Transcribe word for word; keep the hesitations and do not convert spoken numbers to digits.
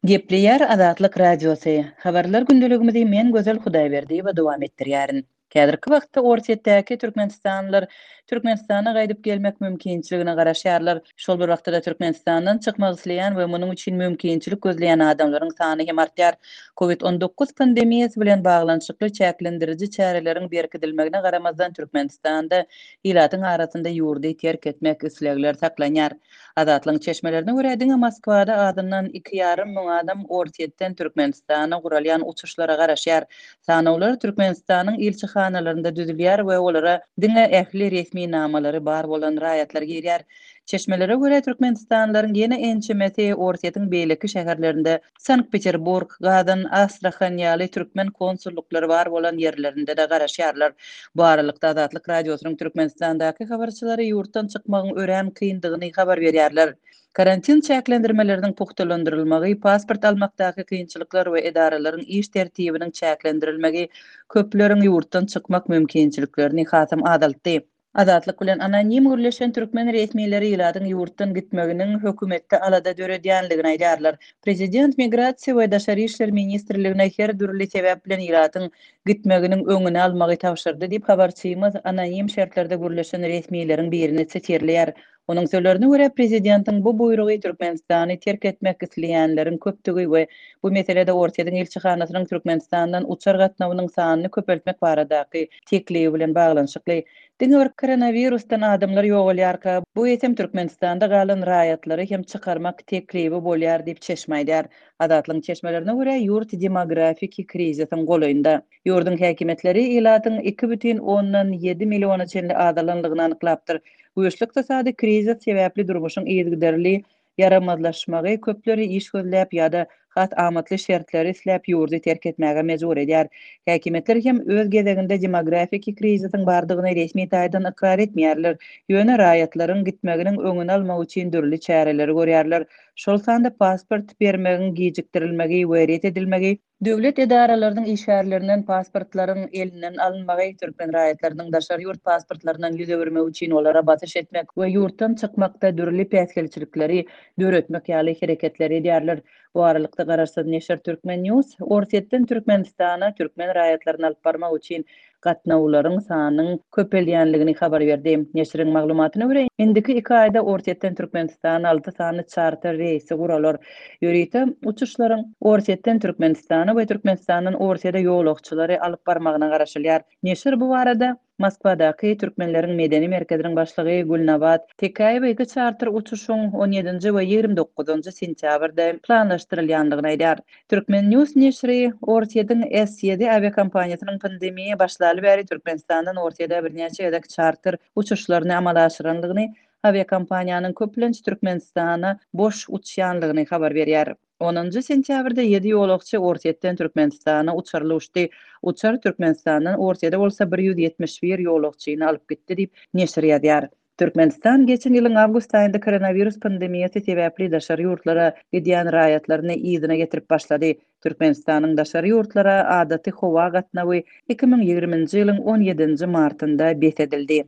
Gepleýär Azatlyk Radiosy. Habarlar gündeligimizi men Gözel Hudaýberdiýewa dowam etdirýärin. Häzirki wagtda Orsýetdäki türkmenistanlylar Türkmenistana gaýdyp gelmek mümkinçiligine garaşýarlar. Şol bir wagtda-da Türkmenistandan çykmak isleýän we munuň üçin mümkinçilik gözleýän adamlaryň sany hem artýar. Covid on dokuz pandemiýasy bilen baglanyşykly çäklendiriji çäreleriň berkidilmegine garamazdan Türkmenistanda ilatyň arasynda ýurdy terk etmek islegler saklanýar. Azatlygyň çeşmelerine görä, diňe Moskwada azyndan iki ýarym müň adam Orsýetden Türkmenistana guralýan uçuşlara garaşýar. Sanawlar Türkmenistanyň ilçihanalarynda düzülýär we olara diňe ähli resminamalary bar bolan raýatlar girýär. Çeşmelere görä, türkmenistanlylaryň ýene ençemesi Orsýetiň beýleki şäherlerinde, Sankt-Peterburg, Gazan, Astrahan ýaly türkmen konsullyklary bar bolan ýerlerinde-de garaşýarlar. Bu aralykda, Azatlyk Radiosynyň Türkmenistandaky habarçylary ýurtdan çykmagyň örän kyndygyny habar berýärler. Karantin çäklendirmeleriniň pugtalandyrylmagy, pasport almakdaky kynçylyklar we edaralaryň iş tertibiniň çäklendirilmegi köpleriň ýurtdan çykmak mümkinçiliklerini hasam azaltdy. Azatlyk bilen anonim gürleşen türkmen resmileri ilatyň ýurtdan gitmeginiň hökümetde alada döredýändigini aýdýarlar. Prezident Migrasiýa we daşary işler ministrligine her dürli sebäp bilen ilatyň gitmeginiň öňüni almagy tabşyrdy diýip, habarçymyz anonim şertlerde gürleşen resmileriň birini sitirleýär. Onuň sözlerine görä, prezidentiň bu buýrugy Türkmenistany terk etmek isleýänleriň köpdügi we bu meselede Orsýetiň ilçihanasynyň Türkmenistandan uçar gatnawynyň sanyny köpeltmek baradaky teklibi bilen baglanyşykly. Diňe bir koronawirusdan adamlar ýogalýarka, bu eýsem Türkmenistanda galan raýatlary hem çykarmak teklibi bolýar diýip, çeşme aýdýar. Azatlygyň çeşmelerine görä, ýurt demografiki krizisiň golaýynda. Ýurduň häkimiýetleri ilatyň iki bütin ondan ýedi milliona çenli azalanlygyny anyklapdyr. Güýçli ykdysady krizis sebäpli durmuşyň yzygiderli ýaramazlaşmagy köpleri iş gözläp ýa-da has amatly şertleri isläp ýurdy terk etmäge mejbur edýär. Häkimiýetler hem öz gezeginde demografiki krizisiň bardygyny resmi taýdan ykrar etmeýärler, ýöne raýatlaryň gitmeginiň öňüni almak üçin dürli çäreleri görýärler, şol sanda pasport bermegiň gijikdirilmegi we ret edilmegi, döwlet edaralarynyň işgärlerinden pasportlaryň elinden alynmagy, türkmen raýatlarynyň daşary ýurt pasportlaryndan ýüz öwürmegi üçin olara basyş etmek we ýurtdan çykmakda dürli päsgelçilikleri döretmek ýaly hereketleri edýärler. Bu aralykda garaşsyz neşir Turkmen News Orsýetden Türkmenistana türkmen raýatlaryny alyp barmak üçin gatnawlaryň sanynyň köpelýänligini habar berdi. Neşiriň maglumatyna görä, indiki iki aýda Orsýetden Türkmenistana alty sany çarter reýsi guralar. Ýörite uçuşlaryň Orsýetden Türkmenistana we Türkmenistandan Orsýete ýolagçylary alyp barmagyna garaşylýar. Neşir bu barada Moskwadaky Türkmenleriň medeni merkeziniň başlygy Gülnabat Tekäýewa iki çarter uçuşyň on ýedinji we ýigrimi dokuzynjy sentýabrda planlaşdyrylýandygyny aýdýar. Turkmen News neşiri Orsýetiň S ýedi awiakompaniýasynyň pandemiýa başlaly bäri Türkmenistandan Orsýete birnäçe gezek çarter uçuşlaryny amala aşyrandygyny, awiakompaniýanyň köplenç Türkmenistana boş uçýandygyny habar berýär. Onunjy sentýabrda ýedi ýolagçy Orsýetden Türkmenistana uçarly uçdy. Uçar Türkmenistandan Orsýete bolsa bir ýüz ýetmiş bir ýolagçyny alyp gitdi diýip, neşir ýazýar. Türkmenistan geçen ýylyň awgust aýynda koronawirus pandemiýasy sebäpli daşary ýurtlara gidýän raýatlaryny yzyna getirip başlady. Türkmenistanyň daşary ýurtlara adaty howa gatnawy iki müň ýigriminji ýylyň on ýedinji martynda bes edildi.